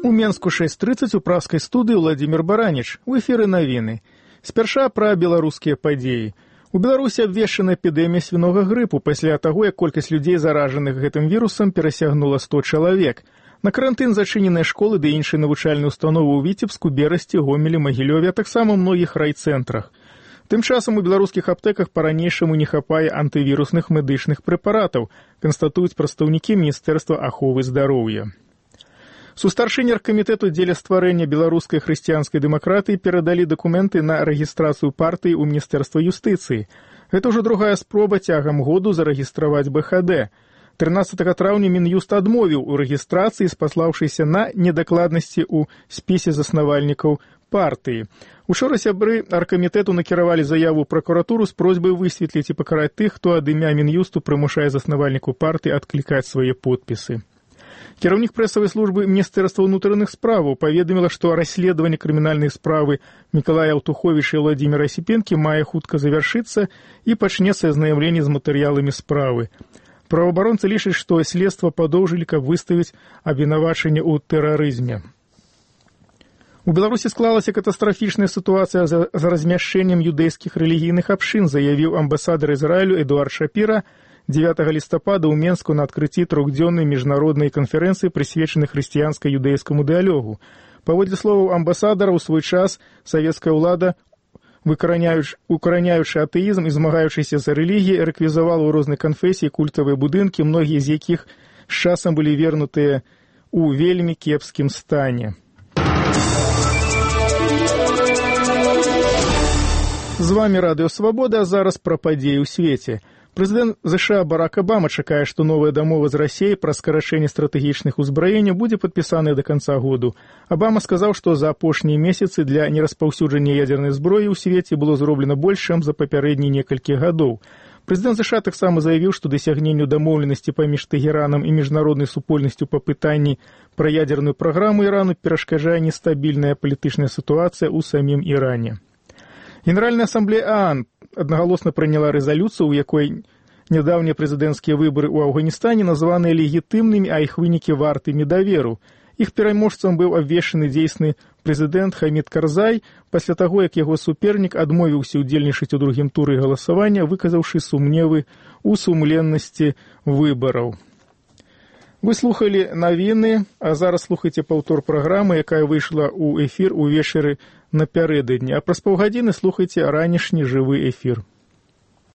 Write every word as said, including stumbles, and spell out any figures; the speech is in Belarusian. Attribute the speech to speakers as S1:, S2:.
S1: У Менску шэсць трыццаць у праскай студыі Владзімір Бараніч. У эфіры навіны. Спярша пра беларускія падзеі. У Беларусі абвешчана эпідэмія свінога грыпу пасля таго, як колькасць людзей, заражаных гэтым вірусам, перасягнула сто чалавек. На карантын зачыненыя школы ды іншыя навучальныя установы ў Віцебску, Берасці, Гомелі, Магілёве, а таксама ў многіх райцэнтрах. Тым часам у беларускіх аптэках па-ранейшаму не хапае антывірусных медычных прэпаратаў, канстатуюць прадстаўнікі Міністэрства аховы здароўя. Сустаршыні аргкамітэту дзеля стварэння беларускай хрысціянскай дэмакратыі перадалі дакументы на рэгістрацыю партыі ў Міністэрства юстыцыі. Гэта ўжо другая спроба цягам году зарэгістраваць бэ ха дэ. трынаццатага траўня Мін'юст адмовіў у рэгістрацыі, спаслаўшыся на недакладнасці ў спісе заснавальнікаў партыі. Учора сябры аргкамітэту накіравалі заяву ў пракуратуру з просьбай высветліць і пакараць тых, хто ад імя Мін'юсту прымушае заснавальніку партыі адклікаць свае подпісы. Кіраўнік прэсавай службы Міністэрства ўнутраных справаў паведаміла, што расследаванне крымінальнай справы Мікалая Аўтуховіча і Владзіміра Асіпенкі мае хутка завяршыцца і пачнецца азнайамленне з матэрыяламі справы. Праваабаронцы лічаць, што следства падоўжылі, каб выставіць абвінавачанне ў тэрарызме. У Беларусі склалася катастрафічная сітуацыя з размяшчэннем юдэйскіх рэлігійных абшын, заявіў амбасадар Ізраілю Эдуард Шапіра дзевятага лістапада ў Менску на адкрыцці трохдзённай міжнароднай канферэнцыі, прысвечанай хрысціянска-юдэйскаму дыялогу. Паводле словаў амбасадара, у свой час савецкая ўлада, укараняючы атэізм і змагаючыся за рэлігіі, рэквізавала ў рознай канфесіі культавыя будынкі, многія з якіх з часам былі вернутыя ў вельмі кепскім стане. З вамі Радыё Свабода, а зараз пра падзеі ў свеце. Прэзідэнт ЗША Барак Абама чакае, што новая дамова з Расіяй пра скарачэнне стратэгічных узбраенняў будзе падпісаная да канца году. Абама сказаў, што за апошнія месяцы для нераспаўсюджання ядзернай зброі ў свеце было зроблена больш, чым за папярэднія некалькі гадоў. Прэзідэнт ЗША таксама заявіў, што дасягненню дамоўленасці паміж Тэгеранам і міжнароднай супольнасцю па пытанні пра ядзерную праграму Ірану перашкаджае нестабільная палітычная сітуацыя ў самім Іране. Генеральная асамблея ААН аднагалосна прыняла рэзалюцыю, у якой нядаўнія прэзідэнцкія выбары ў Афганістане названыя легітымнымі, а іх вынікі вартымі даверу. Іх пераможцам быў абвешчаны дзейсны прэзідэнт Хамід Карзай пасля таго, як яго супернік адмовіўся ўдзельнічаць у другім туры галасавання, выказаўшы сумневы ў сумленнасці выбараў. Вы слухалі навіны, а зараз слухайце паўтор праграмы, якая выйшла ў эфір увечары напярэдадні, а праз паўгадзіны слухайце ранішні жывы эфір.